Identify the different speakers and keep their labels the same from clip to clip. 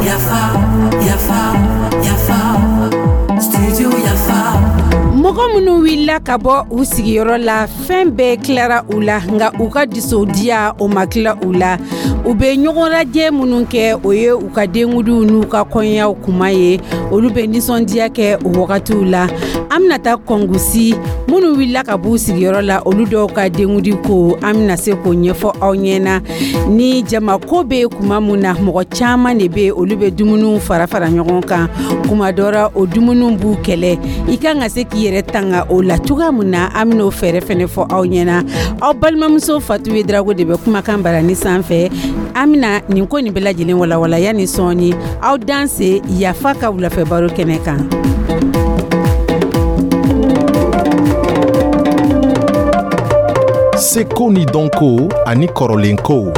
Speaker 1: Yafa, yafa, yafa, studio Yafa.
Speaker 2: Mɔgɔ minnu wulila ka bɔ u sigiyɔrɔ la, fɛn bɛɛ tilara u la, nka u ka dusodiya, o ma tila u la. U bɛ ɲɔgɔn lajɛ minnu kɛ, o ye u ka denkudiw n'u ka kɔɲɔyaw kuma ye. Olu bɛ nisɔndiya kɛ o wagatiw la. An bɛna taa Kɔngusi, minnu wulila ka b'u sigiyɔrɔ la, olu dɔw ka denkudi ko, an bɛna se k'o ɲɛfɔ aw ɲɛna. Ni jamako bɛ kuma mun na, mɔgɔ caman de bɛ, olu bɛ dumuniw fara fara ɲɔgɔn kan. Kuma dɔ la, o dumuniw b'u kɛlɛ. I kan ka se k'i yɛrɛ tanga o la cogoya mun na, an bɛn'o fɛɛrɛ fɛnɛ fɔ aw ɲɛna. Aw balimamuso Fatu Drago de bɛ kumakan barani sanfɛ. An bɛna nin ko nin bɛɛ lajɛlen walawala yanni sɔɔni. Aw danse Yafa ka wulafɛ baro kɛnɛ kan.
Speaker 3: Seko ni dɔnko ani kɔrɔlenkow.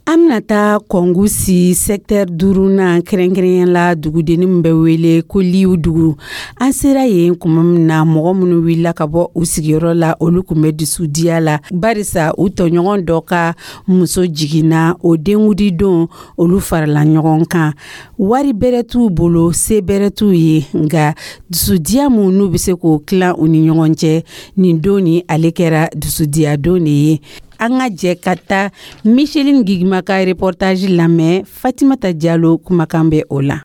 Speaker 2: An bɛna taa Kɔngusi secteur duurunan, kɛrɛnkɛrɛnya la dugudenni min bɛ wele ko Liw dugu. An sera yen kuma min na, mɔgɔ minnu wulila ka bɔ u sigiyɔrɔ la, olu tun bɛ dusudiya la, barisa u tɔɲɔgɔn dɔ ka muso jiginna. O denkudi don, olu farala ɲɔgɔn kan. Wari bɛrɛ t'u bolo, se bɛrɛ t'u ye, nka dusudiya mun n'u bɛ se k'o tilan u ni ɲɔgɔn cɛ, nin don ni ale kɛra dusudiya don de ye. An ka jɛ ka taa Micheline Gigima ka reportage lamɛn. Fatimata Jalo kumakan bɛ o la.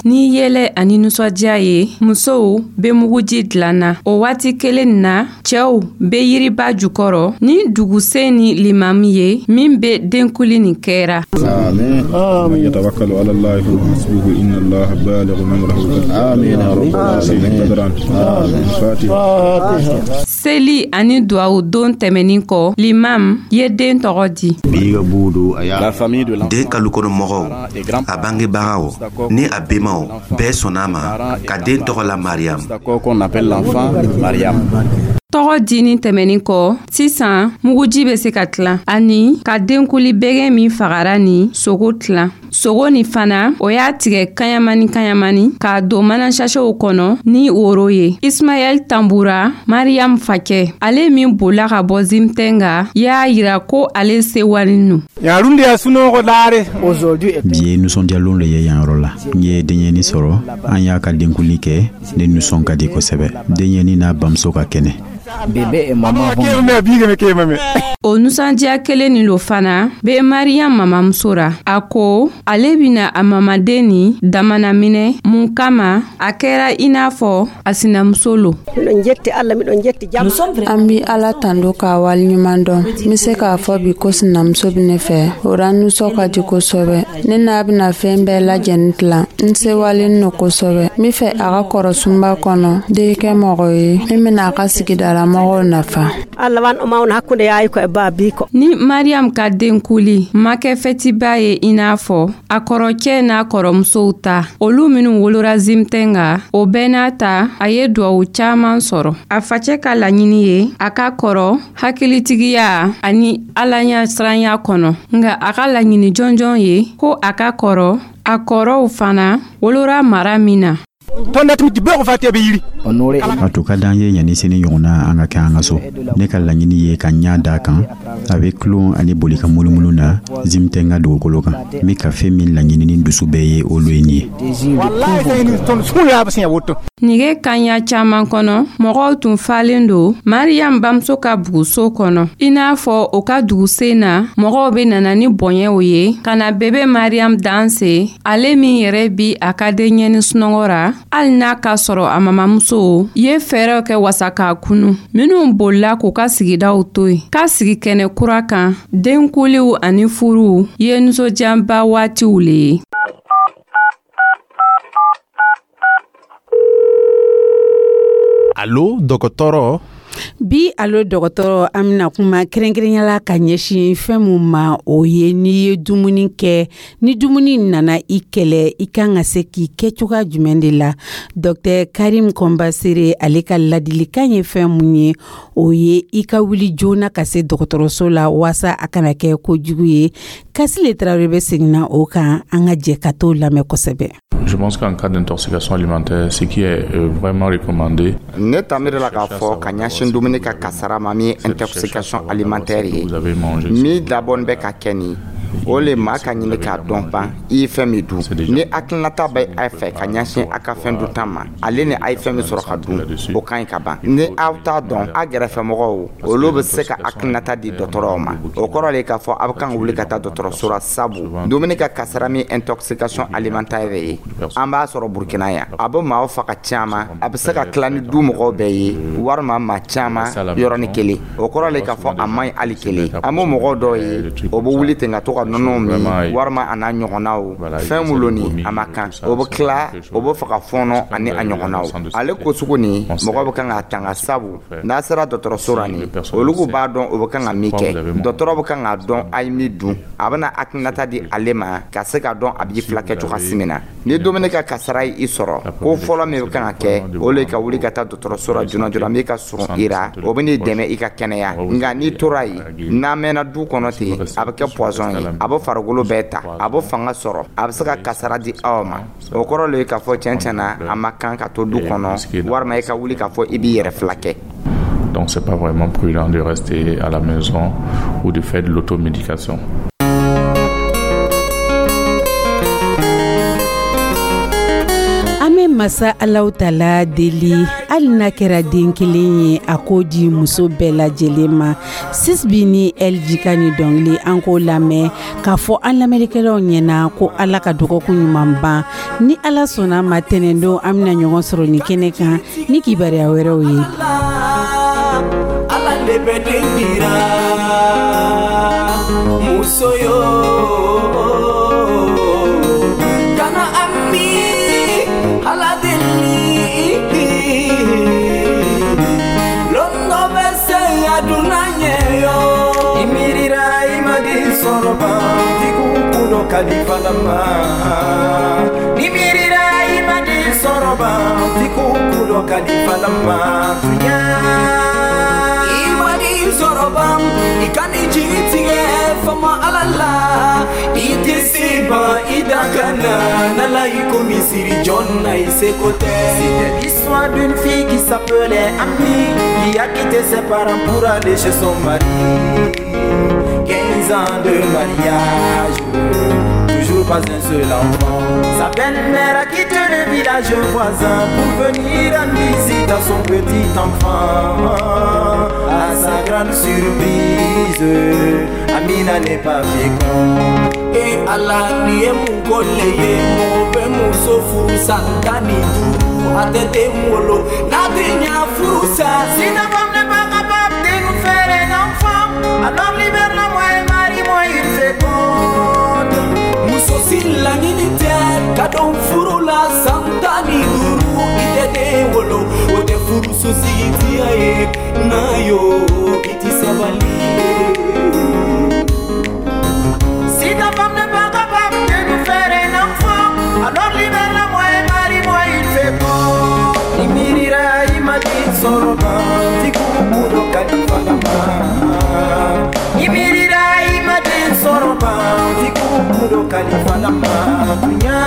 Speaker 4: Ni yɛlɛ ani nisɔndiya ye, musow bɛ muguji dilanna. O waati kelen na, cɛw bɛ yiriba jukɔrɔ ni dugusen ni limamu ye min bɛ denkuli nin kɛra.
Speaker 5: يتوكل على الله فهو حسبه إن الله بالغ أمره آمين فاتحة.
Speaker 4: Seli ani duwawu don tɛmɛnin kɔ, limam ye den tɔgɔ di.
Speaker 6: Den kalukɔnɔ mɔgɔw, a bangebagaw ni a bemaw bɛɛ sɔnna a ma ka den tɔgɔ la Mariam.
Speaker 4: Tɔgɔ dini tɛmɛnin kɔ, sisan muguji bɛ se ka tilan ani ka denkuli bɛgɛ min fagara ni sogo tilan. Sogo nin fana, o y'a tigɛ kaɲamani kaɲamani k'a don manasasiw kɔnɔ ni woro ye. Ismaɛl Tanbura, Mariam facɛ, ale min bolila ka bɔ Zimtɛnga, y'a yira ko ale sewalen nu.
Speaker 7: Bi ye nisɔndiyalon le ye yan yɔrɔ la. N ye denyɛni sɔrɔ, an y'a ka denkuli kɛ. Ne nisɔn ka di kosɛbɛ. Denyɛni n'a bamuso ka kɛnɛ.
Speaker 4: O nusɔndiya kelen nin lo fana bɛ Mariam mamamuso ra. A ko ale bɛna a mamaden ni damana minɛ mun kama, a kɛra i n'a fɔ a sinamuso lo.
Speaker 8: An bi Ala tando k'a waleɲuman dɔn. N be se k'a fɔ bi ko sinamuso bɛ ne fɛ, o ra nisɔn ka di kosɛbɛ. Ne n'a bɛna fɛn bɛɛ lajɛlen tilan. N sewalen no kosɛbɛ. N be fɛ a ka kɔrɔ sunba kɔnɔ, den kɛ mɔgɔ ye min bɛna a ka sigidalamɔgɔw nafa.
Speaker 4: Ni Mariam ka denkuli ma kɛ fɛtiba ye i n'a fɔ a kɔrɔcɛ n'a kɔrɔmusow ta, olu minw wolora Zimtɛnga, o bɛɛ n'a ta, a ye duwawu caaman sɔrɔ. A facɛ ka laɲini ye a ka kɔrɔ hakilitigiya ani alaɲasiranya kɔnɔ, nka a ka laɲini jɔnjɔn ye ko a ka kɔrɔ a kɔrɔw fana wolora mara min na.
Speaker 7: A tun ka d'an ye yanni sini ɲɔgɔnna an ka kɛ an ka so. Ne ka laɲini ye ka ɲa da kan, a bɛ tulon ani boli ka munumunu na Zimtɛnga dugukolo kan. N bɛ ka fɛn min laɲini ni dusu bɛɛ ye, olu ye nin ye.
Speaker 4: Nige kaɲa caaman kɔnɔ, mɔgɔw tun falen don Mariam bamuso ka buguso kɔnɔ. I n'a fɔ o ka dugusen na, mɔgɔw bɛ nana ni bɔɲɛw ye ka na bebe Mariam danse, ale min yɛrɛ bi a ka denɲɛni sunɔgɔ ra, hali n'a k'a sɔrɔ a mamamuso ye fɛɛrɛw kɛ wasa k'a kunu. Minw bolila k'u ka sigidaw to yen ka sigi kɛnɛ kura kan, denkuliw ani furuw ye nisɔndiyanba waatiw le ye.
Speaker 3: Alo, dɔgɔtɔrɔ.
Speaker 2: Bi Alo Dɔgɔtɔrɔ, an bɛna kuma kɛrɛnkɛrɛnyala ka ɲɛsin fɛn mun ma, o ye n'i ye dumuni kɛ, ni dumuni nana i kɛlɛ, i kan ka se k'i kɛ cogoya jumɛn de la. Dr Karim Kɔnbasere, ale ka ladilikan ye fɛn mun ye, o ye i ka wuli joona ka se dɔgɔtɔrɔso la waasa a kana kɛ kojugu ye. Kasile Tarawele bɛ seginna o kan, an ka jɛ ka t'o lamɛn kosɛbɛ.
Speaker 9: Je pense qu'en cas d'intoxication alimentaire, ce qui est vraiment recommandé,
Speaker 10: Ne ta miiri la k'a fɔ ka ɲɛsin dumuni ka kasara ma, min ye intoxication alimentaire ye, min dabɔni bɛ ka kɛ nin, o le maa ka ɲini k'a dɔn ban i ye fɛn min dun. Ni hakilinata bɛ a fɛ ka ɲɛsin a ka fɛn dunta ma, ale ni a ye fɛn min sɔrɔ ka dun, o ka ɲi ka ban. Ni aw t'a dɔn, a gɛrɛfɛmɔgɔw, olu bɛ se ka hakilinata di dɔgɔtɔrɔw ma. O kɔrɔ de k'a fɔ a bɛ kan ka wuli ka taa dɔgɔtɔrɔso la, sabu dumuni ka kasara min intoxication alimentaire ye, an b'a sɔrɔ Burukina yan, a bɛ maaw faga caman. A bɛ se ka tila ni du mɔgɔw bɛɛ ye walima maa caman yɔrɔnin kelen. O kɔrɔ de k'a fɔ a man ɲi hali kelen. An b'o mɔgɔw dɔw ye, o bɛ wuli ten ka to ka nɔnɔ min walima a n'a ɲɔgɔnnaw, fɛn minnu ni a ma kan, o bɛ tila o bɛ faga fɔɔnɔ ani a ɲɔgɔnnaw. Ale ko sugu nin, mɔgɔ bɛ kan k'a tanga, sabu n'a sera dɔgɔtɔrɔso la nin, olu b'a dɔn o bɛ kan ka min kɛ. Dɔgɔtɔrɔ bɛ kan k'a dɔn a ye min dun, a bɛna hakilinata di ale ma ka se k'a dɔn a b'i filakɛ cogoya min na. Ni dumuni ka kasara ye i sɔrɔ, ko fɔlɔ min bɛ kan ka kɛ, o le ka wuli ka taa dɔgɔtɔrɔso la joona joona min ka surun i la, o bɛ n'i dɛmɛ i ka kɛnɛya. Nka n'i tora yen, n'a mɛnna du kɔnɔ ten, a bɛ kɛ poison ye, a bɛ farikolo bɛɛ ta, a bɛ fanga sɔrɔ, a bɛ se ka kasara di aw ma. O kɔrɔ le ye k'a fɔ tiɲɛ tiɲɛ na, a ma kan ka to du kɔnɔ walima i ka wuli k'a fɔ i b'i yɛrɛ filakɛ.
Speaker 9: Donc c'est pas vraiment prudent de rester à la maison ou de faire de l'automédication.
Speaker 2: An bɛ masa Alahu Taala deli, hali n'a kɛra den kelen ye, a k'o di muso bɛɛ lajɛlen ma. Sisbi ni LG ka ni dɔnkili, an k'o lamɛn k'a fɔ an lamɛnnikɛlaw ɲɛna ko Ala ka dɔgɔkun ɲuman ban. Ni Ala sɔnna ma, tɛnɛndon an bɛna ɲɔgɔn sɔrɔ nin kɛnɛ kan ni kibaruya wɛrɛw ye.
Speaker 11: Ala le bɛ den dira muso yo, kana ami Ala deli londo bɛ se a dunna ɲɛ yo.
Speaker 12: I miirira i ma den sɔrɔ ban f'i k'u kun dɔ kalifa la ma. Ni miirira i ma den sɔrɔ ban f'i k'u kun dɔ kalifa la ma tunya.
Speaker 11: I ma den sɔrɔ ban, i ka nin jigi tigɛ fama Ala la, i tɛ se ban i da ka na n'Ala i ko misiri jɔn na i seko tɛ.
Speaker 12: C'était l'histoire d'une fille qui s'appelait Ami, qui a quitté ses parents pour aller chez son mari. 15 ans de mariage, toujours pas un seul enfant. Sa belle-mère a quitté le village voisin pour venir rendre visite à son petit enfant. À sa grande surprise, Amina n'est pas féconde.
Speaker 11: E Ala, nin ye mun ko le ye? Mɔgɔ bɛ muso furu san 15, a tɛ den wolo, n'a tɛ ɲa furu sa.
Speaker 12: Si ta femme n'est pas capable de nous faire un enfant, alors libère-la moi et marie-moi une féconde.
Speaker 11: Muso si laɲini tɛ ka don furu la san 15, i tɛ den wolo, o tɛ furuso sigi diya ye n'a yo i ti sabali.
Speaker 12: Si ta femme n'est pas capable de nous faire un enfant, alors libère-la moi et marie-moi une féconde. I miirira i ma den sɔrɔ ban f'i k'u kun dɔ kalifa la ma. I miirira i ma den sɔrɔ ban f'i k'u kun dɔ kalifa la ma tunya.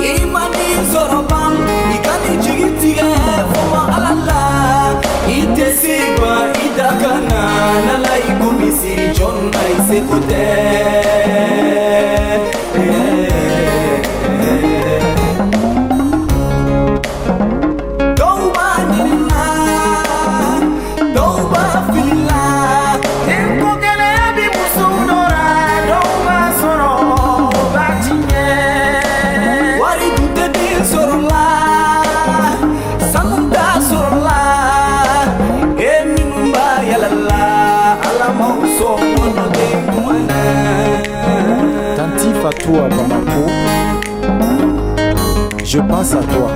Speaker 11: I ma den sɔrɔ ban, i ka nin jigi tigɛ fama Ala la, i tɛ se ban i da ka na n'Ala i ko misiri jɔn na i seko tɛ. Dɔw b'a ɲinina, dɔw b'a fili la.
Speaker 12: Denko gɛlɛya bi musow dɔ la, dɔw b'a sɔrɔ o b'a tiɲɛ.
Speaker 11: Wari dun tɛ den sɔrɔ la, sanu t'a sɔrɔ la, e minnu b'a yala la, Ala m'aw sɔn kɔnɔ den duman na.
Speaker 13: Tanti Fatou à Bamako, je pense à toi.